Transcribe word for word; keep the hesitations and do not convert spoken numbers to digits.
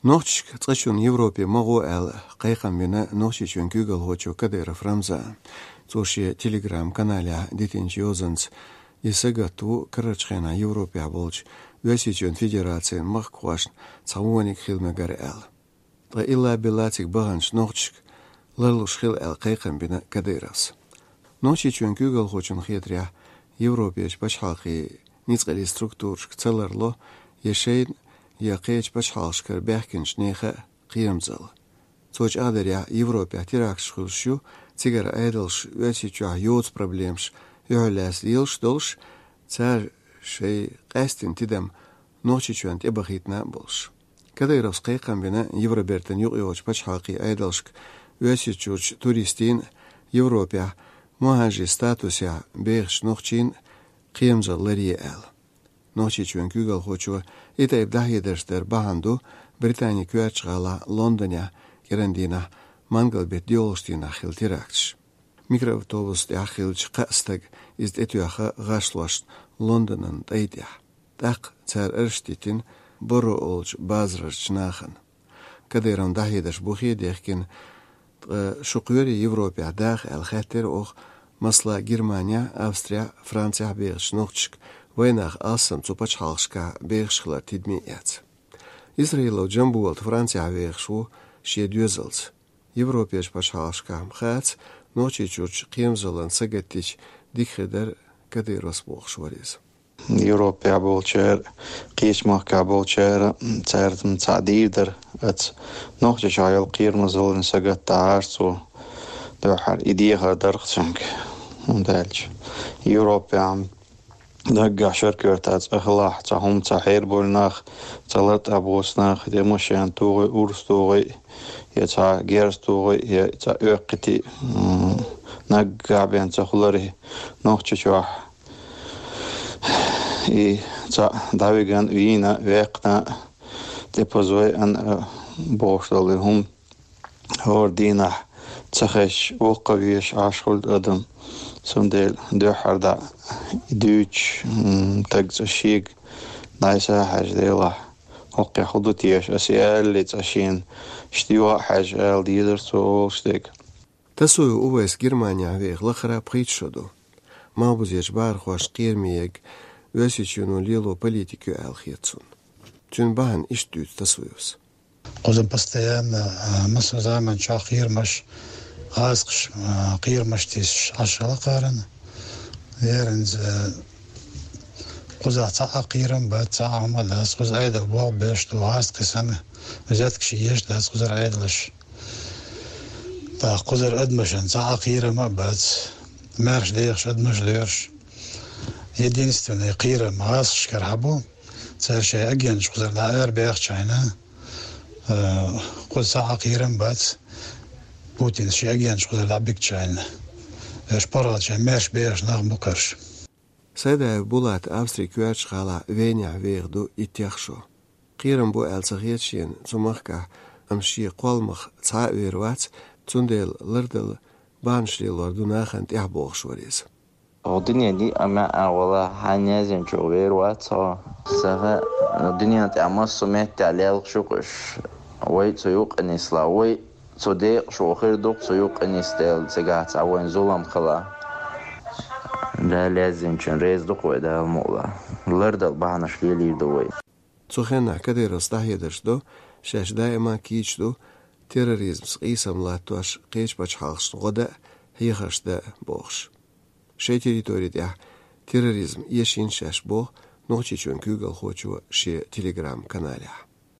Нохчашка цкъачунна Европе ма гӀо аьлла кхайкхам бина Нохчийчоьнан куьйгалхочо Кадыров Рамзана. Цо шен Telegram-каналехь дитинчу йозанца, и сагатта ву карарчу хенахь Европехь болчу Оьрсийчоьнан Федерацин махкахошна цхьа вониг хила мегар аьлла. Ткъа илла-билла цига баханчу нохчашка ларлуш хила аьлла кхайкхам бина Кадыровс. Нохчийчоьнан куьйгалхочунна хетарехь, Европерчу пачхьалкхийн ницкъаллин структурашка ца ларло я шайна, я кхечу пачхьалкхашкара баьхкинчу нехан кхерамзалла. Цо чӀагӀдарехь, Европехь теракташ хуьлуш ю, цигара Ӏедалша Оьрсийчохь йоцу проблемаш юьхьарлаьцна лелаш долуш, цара шайн къаьстина тидам Нохчийчоьнна тӀебахийтина а болуш. Кадыровс кхайкхам бина Евробертан юкъайогӀучу пачхьалкхийн Ӏедалшка Оьрсийчуьрчу туристийн, Европехь мухӀажирийн статусехь бехачу нохчийн кхерамзалла ларъе аьлла. Нохчийчоьнан куьйгалхочо и тайпа дӀахьедарш дар бахьана ду Британин коьртачу гӀалахь Лондонехь кӀиран дийнахь, мангал-беттан доьалгӀачу дийнахь хилла теракташ. Микроавтобус тӀехь хиллачу кхаа стага иза тӀетоьхна гӀашлошна Лондонан тӀай тӀехь. ТӀаккха цара арест диттина Боро олучу базарарчу нахана. Кадыровн дӀахьедарш бухе а дехкина, ткъа шу кхоьрий Европехь даха аьлла хаьттира оха, масала, Германехь, Австрехь, Францехь бехачу нохчашка, вайнах алссам цу пачхьалкхашкахь бехаш хилар тидаме а эцна. Исраилов Джамболат Францехь вехаш ву шен доьзалца. Европерчу пачхьалкхашкахь-м хаьттича, Нохчийчуьрчу кхерамзаллина сагатдича дика хир дара Кадыровс, бохуш вара иза. Европехь болчара, кхечу махкахь болчара, цаьрца цхьаъ дийр дара, аца Нохчийчохь йолу кхерамзаллина сагатдахьара цо, дуьххьара и дехар дара-кх цуьнга. ХӀунда аьлча Европехь-м наггахь шаркоьртахь цӀа хилахь, цхьа хӀума ца хьерабойла нах, цхьа лар тӀехь боцу нах, я машен тухий, урс тухий, я цхьа герз тухий, я цхьа оьккхийти, м, наггахь бен ца хуьлура Нохчийчохь. И цхьаъ дӀавигна, вийна, ваьккхина, тӀепазой а, бохуш долу хӀума. ХӀора дийнахь ца хезча, воккхавеш Ӏаш хуьлу адам. Цундела дуьххьара дӀа дуьйцуш, м, таг цӀа шега дӀасахьажа делахь, хӀокхехь хӀун ду теша, ас и алале цӀа шена, иштта юха а хьаьжа ала дезара цо олуш дерг. Тасуев Увайс Германехь веха лахара пхийтта шо ду. Малхбузерчу бахархошна кхераме ерг Оьрсийчоьно лело политика ю аьлла хета цунна. Цуьнан бахьана иштта дуьйцу Тасуевс. Кхуза постоянно, а, массо а заманчохь кхерамаш, гӀазкхаш, а, кхерамаш тесаш Ӏаш хилла кхарна. Ерриг, а, кхузахь цхьа а кхерам бац, цхьа а хӀума дац, кхуза Ӏедал болх беш ду, гӀазкхий санна, взяткаш еш дац кхузара Ӏедалаш. ТӀаккха кхузара адамашна цхьа а кхерам а бац, маьрша дехаш адамаш лоьраш. Единственный кхерам гӀазкхашкара хьабу, цара шайн агенташ кхузара дӀа арабаьхча хьайна, а, кхуза цхьа а кхерам бац, Путинс шен агенташ кхузара дӀабигча хьайна. Уьш паргӀатчохь маьрша бехаш нах бу-кх уьш. Сайдаев Булат Австрин коьртачу гӀалахь Венехь веха ду иттех шо. Кхерам бу аьлла ца хета шена цу махкахь, амма шен кхолламах цхьа а вер вац, цундела лардала бахьанаш лелор ду нахана тӀехь, бохуш вара иза. Оха дуьненан диъ а маьӀӀехь вала, хьайна яздинчух вер вац хьо. Сан хаа, дуьненан тӀехь массо а меттехь лелхаш ю-кх уьш. Вай цу юкъа нислахь, вай цу декъашхо хир ду-кх цу юкъа нисдела, цигахь цхьа вайн зулам хилахь. Дала яздинчун реза ду-кх вай, Дала мукъ лахь. Лардала бахьанаш лелийр ду вай. Цу хенахь Кадыровс дӀахьедарш до, шаьш даима кийча ду терроризмца къийсам латтош кхечу пачхьалкхашна гӀо дан а, хьехарш дан а бохуш. Шайн территори тӀехь терроризм эшийна шаьш, боху Нохчийчоьнан куьйгалхочо шен Telegram-каналехь.